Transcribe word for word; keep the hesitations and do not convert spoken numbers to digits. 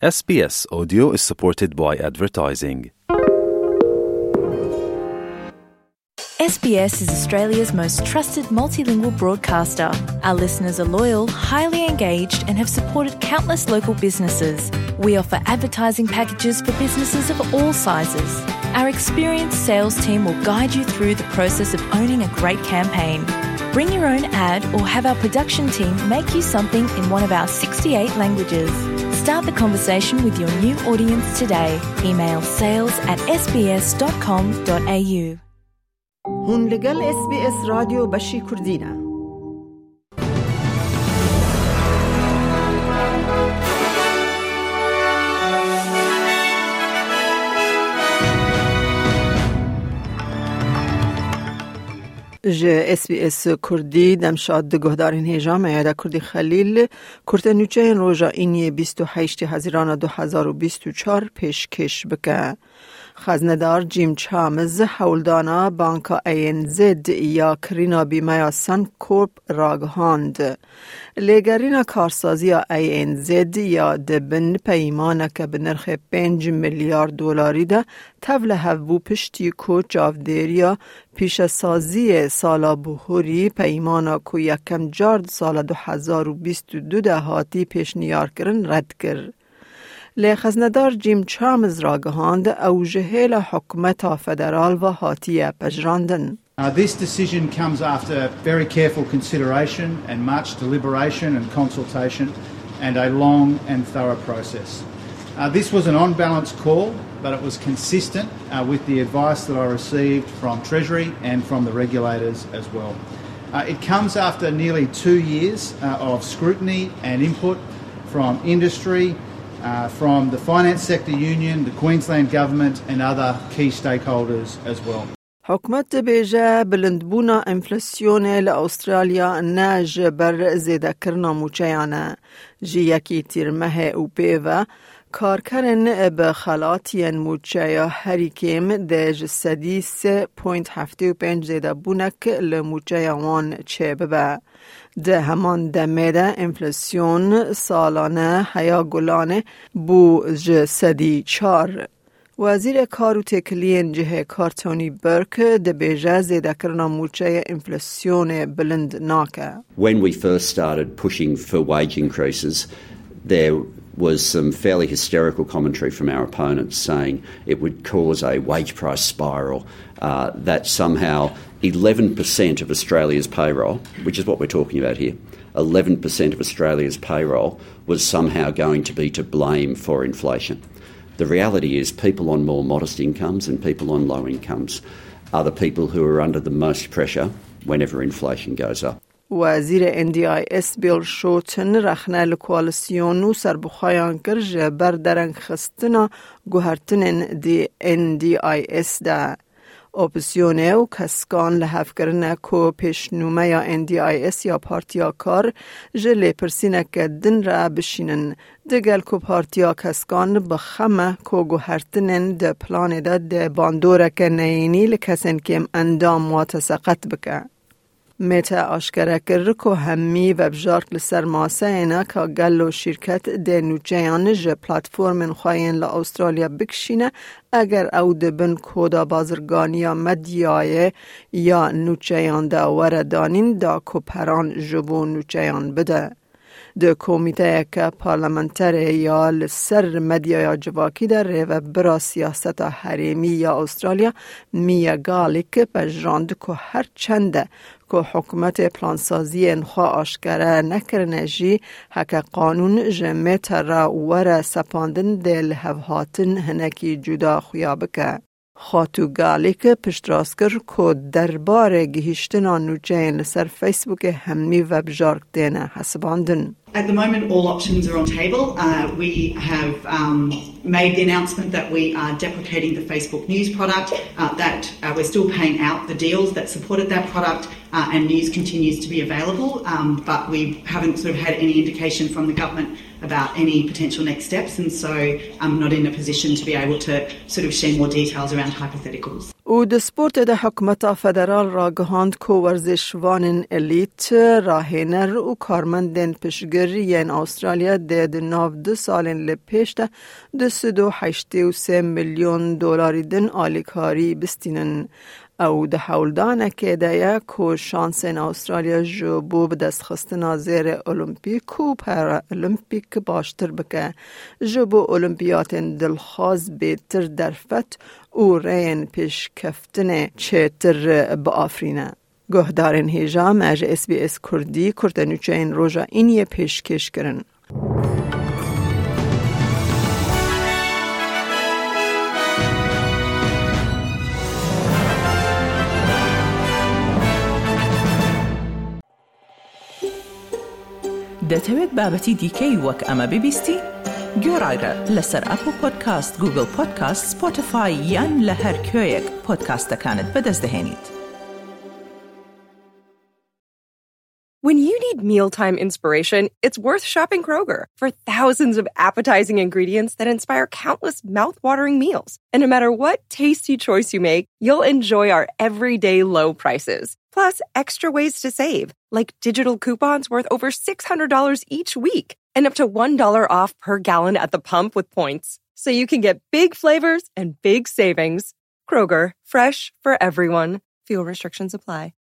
S B S Audio is supported by advertising. S B S is Australia's most trusted multilingual broadcaster. Our listeners are loyal, highly engaged, and have supported countless local businesses. We offer advertising packages for businesses of all sizes. Our experienced sales team will guide you through the process of owning a great campaign. Bring your own ad or have our production team make you something in one of our sixty-eight languages. Start the conversation with your new audience today. Email sales at S B S dot com dot A U. Hûn li gel S B S Radyo Beşî Kurdî ne. Ji S B S Kurdî demşad di guhdarên hêja me ya da Kurdî Xelîl, kurte nûçeyên roja îniyê bîst û heştê Hezîrana du hezar û bîst û çar pêşkêş bike. Xeznedar Jim Chalmers hewldana Banka A N Z ya kirîna bîmeya Suncorp ragihand. Lêgerîna karsaziya A N Z ya di bin peymaneke bi nirxê pênc milyar dolarî de tevlihev bû, piştî ku çavdêriya pîşesaziyê sala bihurî, peymana ku yekem car di sala du hezar û bîst û du de hatî pêşniyarkirin, red kir. Lê xeznedar Jim Chalmers ragihand, ew ji hêla hikûmeta federal ve hatiye pejirandin. Uh, this decision comes after very careful consideration and much deliberation and consultation and a long and thorough process. Uh, this was an on-balance call, but it was consistent, uh, with the advice that I received from Treasury and from the regulators as well. Uh, it comes after nearly two years, uh, of scrutiny and input from industry, uh, from the Finance Sector Union, the Queensland Government and other key stakeholders as well. Hikûmet dibêje, bilindbûna enflasyonê li Astralya ne ji ber zêdekirina mûçeyan e. Ji yekî Tîrmehê û pê ve, karkerên bi xelatiyên mûçeya herî kêm dê ji sedî sê point heftê û pênc zêdebûnek li mûçeya wan çêbibe. Di heman demê de enflasyon salane heya gulanê bû ji sedî çar. Wezîrê Kar û Têkiliyên Cihê Kar Tony Burke dibêje, zêdekirina mûçeyê enflasyonê bilind nake. When we first started pushing for wage increases, there was some fairly hysterical commentary from our opponents saying it would cause a wage price spiral, uh, that somehow eleven percent of Australia's payroll, which is what we're talking about here, eleven percent of Australia's payroll was somehow going to be to blame for inflation. The reality is, people on more modest incomes and people on low incomes are the people who are under the most pressure whenever inflation goes up. Wezîrê N D I S Bill Shorten rexne li koalîsyon û serbixweyan kir ji ber derengxistina guhertinên di N D I S de. Opozîsyonê û keskan li hev kirine ku pêşnûmeya N D I S ya Partiya Kar ji lêpirsîneke din re bişînin. Digel ku Partiya Keskan bi xem e ku guhertinên di planê de dê bandoreke neyînî li kesên kêm endam wate seqet bike. Meta aşkere kir ku hemî vebjark li ser maseyê ne ka gelo şîrket dê nûçeyan ji platformên xwe yên li Astralya bikişîne, eger ew di bin koda bazirganiya medyayê ya nûçeyan de were danîn, da ku peran ji bo nûçeyan bide. Di komîteyeke parlamenterê ya li ser medyaya civakî de rêvebira siyaseta herêmî ya Astralya, Mia Garlick, pejirand ku her çend e ku hikûmetê plansaziyên xwe aşkere nekirine jî, heke qanûn ji Meta re were sepandin, dê lihevhatin hinekî cuda xuya bike. Xatû Garlick piştrast kir ku derbarê gihîştina nûçeyên li ser Facebookê hemî vebjark têne hesibandin. At the moment, all options are on table. Uh, we have, um, made the announcement that we are deprecating the Facebook News product, uh, that, uh, we're still paying out the deals that supported that product, uh, and news continues to be available, um, but we haven't sort of had any indication from the government about any potential next steps, and so I'm not in a position to be able to sort of share more details around hypotheticals. Û di sportê de hikûmeta federal ragihand ku werzişvanên elît, rahêner û karmendên piştgir yên Astralya dê di nav du salên li pêş de du sed û heştê û sê milyon dolarî din alîkarî bistînin. Ew di hewldanekê de ye ku şansên Astralya ji bo bidestxistina zêrê Olimpîk û Paralimpîk baştir bike, ji bo Olimpiyatên dilxwaz bêtir derfet û rêyên pêşkeftinê çêtir biafirîne. Guhdarên hêja me ji S B S Kurdî kurtenûçeyên roja îniyê pêşkêş kirin. دەتەوێت بابەتی دیکەی وەک ئەمە ببیستی؟ گوێڕایرە لەسەر ئەپڵ پۆدکاست، گوگڵ پۆدکاست، سپۆتیفای یان لە هەر کوێیەک پۆدکاستەکانت بەدەست دەهێنیت. When you need mealtime inspiration, it's worth shopping Kroger. For thousands of appetizing ingredients that inspire countless mouth-watering meals. And no matter what tasty choice you make, you'll enjoy our everyday low prices. Plus, extra ways to save, like digital coupons worth over six hundred dollars each week and up to one dollar off per gallon at the pump with points. So you can get big flavors and big savings. Kroger, fresh for everyone. Fuel restrictions apply.